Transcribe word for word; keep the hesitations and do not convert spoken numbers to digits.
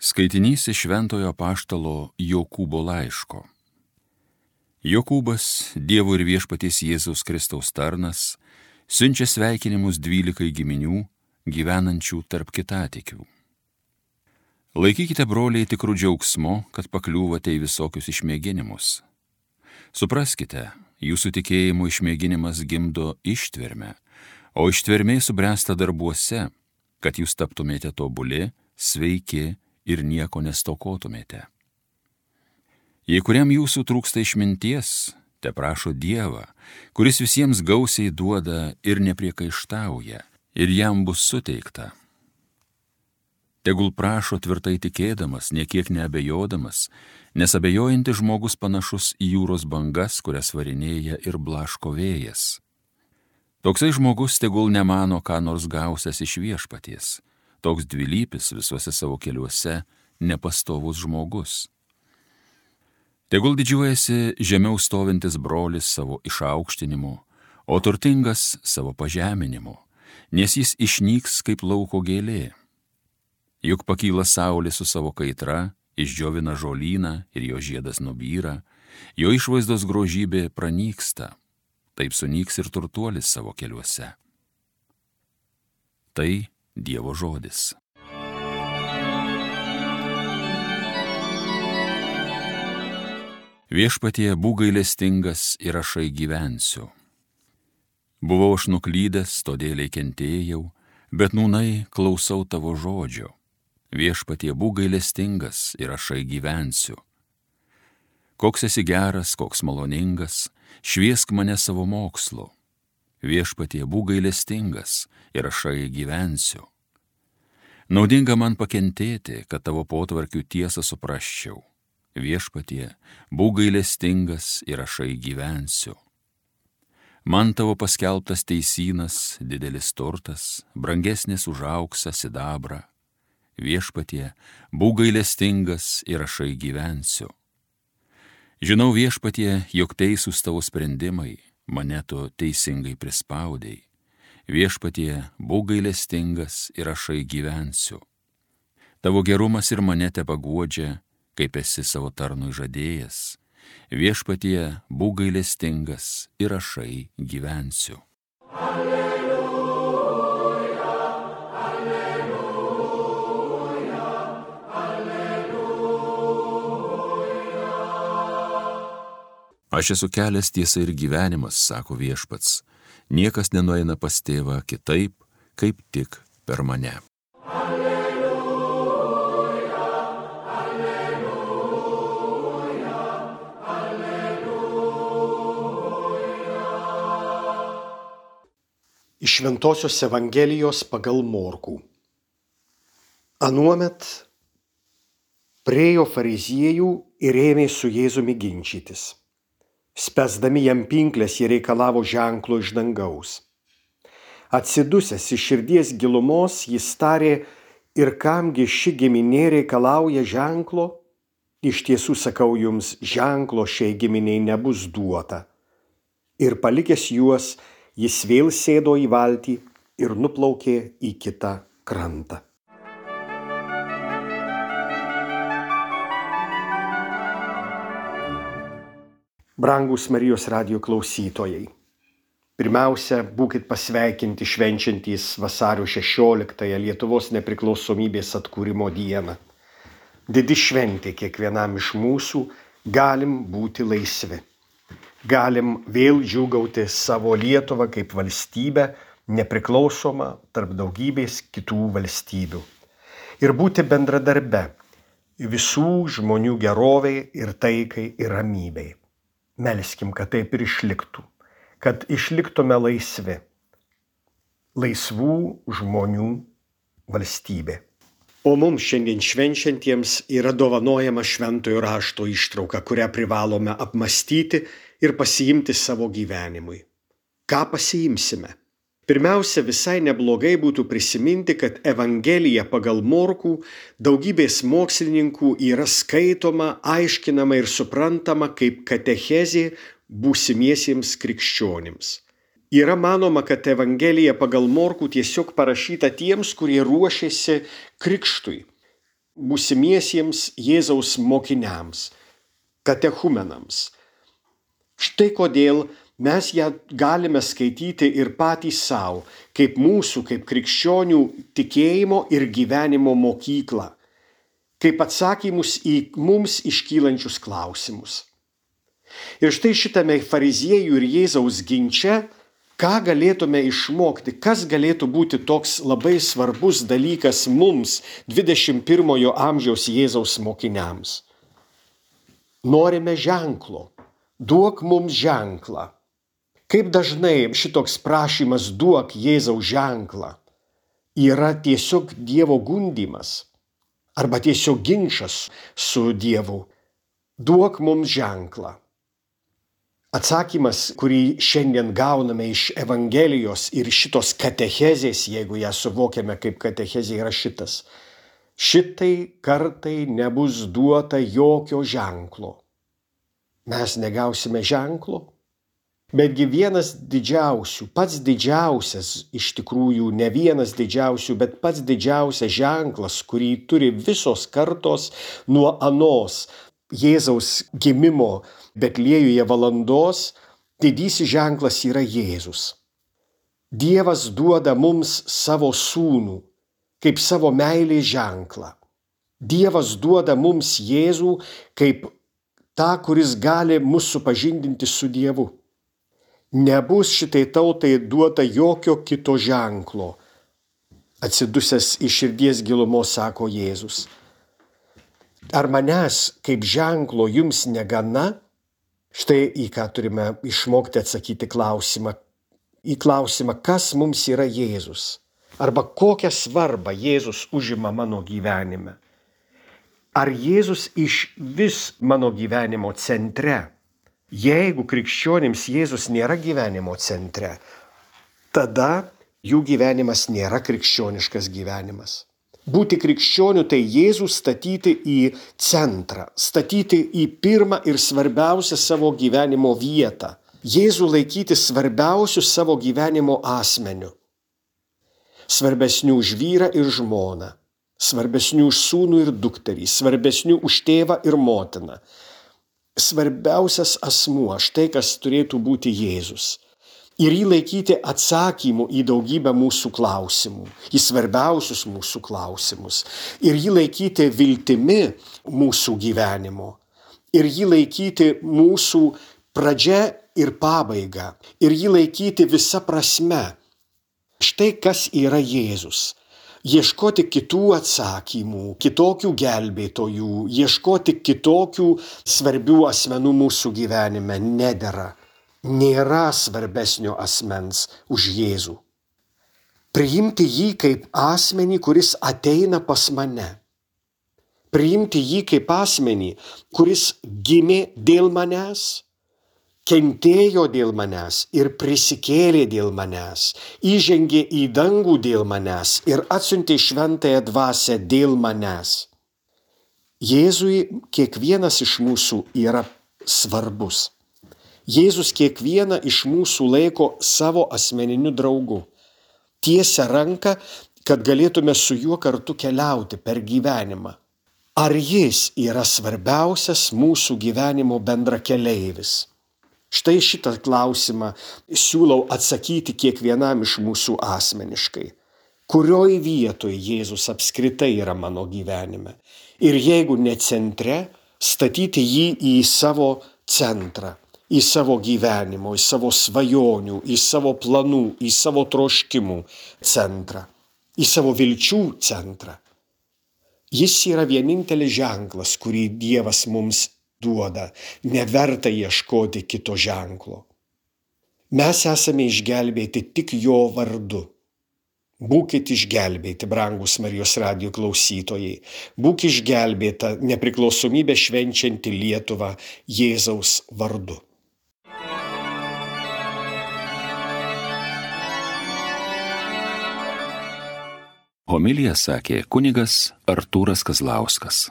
Skaitinys iš Šventojo apaštalo Jokūbo laiško. Jokūbas, Dievo ir Viešpaties Jėzaus Kristaus tarnas, siunčia sveikinimus dvylikai giminių, gyvenančių tarp kitatikių. Laikykite, broliai, tikrų džiaugsmo, kad pakliūvate į visokius išmėginimus. Supraskite, jūsų tikėjimo išmėginimas gimdo ištvermę, o ištvermė subręsta darbuose, kad jūs taptumėte tobuli, sveiki ir nieko nestokotumėte. Jei kuriam jūsų trūksta išminties, te prašo Dievą, kuris visiems gausiai duoda ir nepriekaištauja, ir jam bus suteikta. Tegul prašo tvirtai tikėdamas, niekiek neabejodamas, nes abejojantis žmogus panašus į jūros bangas, kurias varinėja ir blaško vėjas. Toksai žmogus tegul nemano, ką nors gausias iš Viešpaties, toks dvilypis visuose savo keliuose nepastovus žmogus. Tegul didžiuojasi žemiau stovintis brolis savo išaukštinimu, o turtingas savo pažeminimu, nes jis išnyks kaip lauko gėlė. Juk pakyla saulė su savo kaitra, išdžiovina žolyną ir jo žiedas nubyra, jo išvaizdos grožybė pranyksta, taip sunyks ir turtuolis savo keliuose. Tai Dievo žodis. Viešpatie, būk gailestingas ir ašai gyvensiu. Buvau aš nuklydęs, todėl kentėjau, bet nūnai klausau tavo žodžio. Viešpatie, būk gailestingas ir ašai gyvensiu. Koks esi geras, koks maloningas, šviesk mane savo mokslu. Viešpatie, būk gailestingas ir ašai gyvensiu. Naudinga man pakentėti, kad tavo potvarkių tiesą suprasčiau. Viešpatie, būk gailestingas ir ašai gyvensiu. Man tavo paskelbtas teisynas, didelis turtas, brangesnis už auksą, sidabrą. Viešpatie, būk gailestingas ir ašai gyvensiu. Žinau, Viešpatie, jog teisūs tavo sprendimai, mane tu teisingai prispaudei. Viešpatie, būk gailestingas ir ašai gyvensiu. Tavo gerumas ir mane tepaguodžia, kaip esi savo tarnui žadėjęs. Viešpatie, būk gailestingas ir ašai gyvensiu. Alleluja, alleluja, alleluja. Aš esu kelias, tiesa ir gyvenimas, sako Viešpats. Niekas nenueina pas tėvą kitaip, kaip tik per mane. Alleluja, alleluja, alleluja. Iš Šventosios Evangelijos pagal Morkų. Anuomet priėjo fariziejų ir ėmė su Jėzumi ginčytis. Spęsdami jam pinklės, jie reikalavo ženklo iš dangaus. Atsidusęs iš širdies gilumos, jis tarė, ir kamgi ši giminė reikalauja ženklo? Iš tiesų sakau jums, ženklo šiai giminiai nebus duota. Ir palikęs juos, jis vėl sėdo į valtį ir nuplaukė į kitą krantą. Brangūs Marijos radijo klausytojai, pirmiausia, būkit pasveikinti švenčiantys vasario šešioliktąją Lietuvos nepriklausomybės atkūrimo dieną. Didi šventė kiekvienam iš mūsų, galim būti laisvi. Galim vėl džiūgauti savo Lietuvą kaip valstybę, nepriklausomą tarp daugybės kitų valstybių. Ir būti bendradarbe visų žmonių gerovei ir taikai ir ramybei. Melskim, kad taip ir išliktų, kad išliktume laisvi. Laisvų žmonių valstybė. O mums šiandien švenčiantiems yra dovanojama Šventojo rašto ištrauka, kurią privalome apmąstyti ir pasiimti savo gyvenimui. Ką pasiimsime? Pirmiausia, visai neblogai būtų prisiminti, kad Evangelija pagal Morkų daugybės mokslininkų yra skaitoma, aiškinama ir suprantama kaip katechezė būsimiesiems krikščionims. Yra manoma, kad Evangelija pagal Morkų tiesiog parašyta tiems, kurie ruošiasi krikštui. būsimiesiems Jėzaus mokiniams, katechumenams. Štai kodėl mes ją galime skaityti ir patys savo, kaip mūsų, kaip krikščionių tikėjimo ir gyvenimo mokyklą, kaip atsakymus į mums iškylančius klausimus. Ir štai šitame fariziejų ir Jėzaus ginče, ką galėtume išmokti, kas galėtų būti toks labai svarbus dalykas mums, dvidešimt pirmojo amžiaus Jėzaus mokiniams. Norime ženklo, duok mums ženklą. Kaip dažnai šitoks prašymas duok Jėzaus ženklą yra tiesiog Dievo gundymas arba tiesiog ginčas su Dievu. Duok mums ženklą. Atsakymas, kurį šiandien gauname iš Evangelijos ir šitos katechezės, jeigu ją suvokiame kaip katechezė, yra šitas. Šitai kartai nebus duota jokio ženklo. Mes negausime ženklo, betgi vienas didžiausių, pats didžiausias, iš tikrųjų ne vienas didžiausių, bet pats didžiausias ženklas, kurį turi visos kartos nuo anos Jėzaus gimimo Betliejuje valandos, didysis ženklas yra Jėzus. Dievas duoda mums savo sūnų, kaip savo meilės ženklą. Dievas duoda mums Jėzų kaip tą, kuris gali mus supažindinti su Dievu. Nebus šitai tautai duota jokio kito ženklo. Atsidusęs iš širdies gilumos sako Jėzus. Ar manęs kaip ženklo jums negana? Štai į ką turime išmokti atsakyti klausimą. Į klausimą, kas mums yra Jėzus? Arba kokią svarbą Jėzus užima mano gyvenime? Ar Jėzus iš vis mano gyvenimo centre? Jeigu krikščionims Jėzus nėra gyvenimo centre, tada jų gyvenimas nėra krikščioniškas gyvenimas. Būti krikščioniu tai Jėzų statyti į centrą, statyti į pirmą ir svarbiausią savo gyvenimo vietą. Jėzų laikyti svarbiausiu savo gyvenimo asmeniu. Svarbesnių už vyrą ir žmoną, svarbesnių už sūnų ir dukterį, svarbesnių už tėvą ir motiną. Svarbiausias asmuo, štai kas turėtų būti Jėzus. Ir jį laikyti atsakymu į daugybę mūsų klausimų, į svarbiausius mūsų klausimus. Ir jį laikyti viltimi mūsų gyvenimo. Ir jį laikyti mūsų pradžia ir pabaiga. Ir jį laikyti visa prasme. Štai kas yra Jėzus. Ieškoti kitų atsakymų, kitokių gelbėtojų, ieškoti kitokių svarbių asmenų mūsų gyvenime nedera. Nėra svarbesnio asmens už Jėzų. Priimti jį kaip asmenį, kuris ateina pas mane. Priimti jį kaip asmenį, kuris gimė dėl manęs, kentėjo dėl manęs ir prisikėlė dėl manęs, įžengė į dangų dėl manęs ir atsiuntė šventąją dvasią dėl manęs. Jėzui kiekvienas iš mūsų yra svarbus. Jėzus kiekvieną iš mūsų laiko savo asmeniniu draugu. Tiesia ranką, kad galėtume su juo kartu keliauti per gyvenimą. Ar jis yra svarbiausias mūsų gyvenimo bendrakeleivis? Štai šitą klausimą siūlau atsakyti kiekvienam iš mūsų asmeniškai. Kurioj vietoje Jėzus apskritai yra mano gyvenime? Ir jeigu ne centre, statyti jį į savo centrą. Į savo gyvenimo, į savo svajonių, į savo planų, į savo troškimų centrą, į savo vilčių centrą. Jis yra vienintelis ženklas, kurį Dievas mums duoda, neverta ieškoti kito ženklo. Mes esame išgelbėti tik jo vardu. Būkit išgelbėti, brangus Marijos radijo klausytojai. Būk išgelbėta nepriklausomybę švenčianti Lietuva Jėzaus vardu. Homiliją sakė kunigas Artūras Kazlauskas.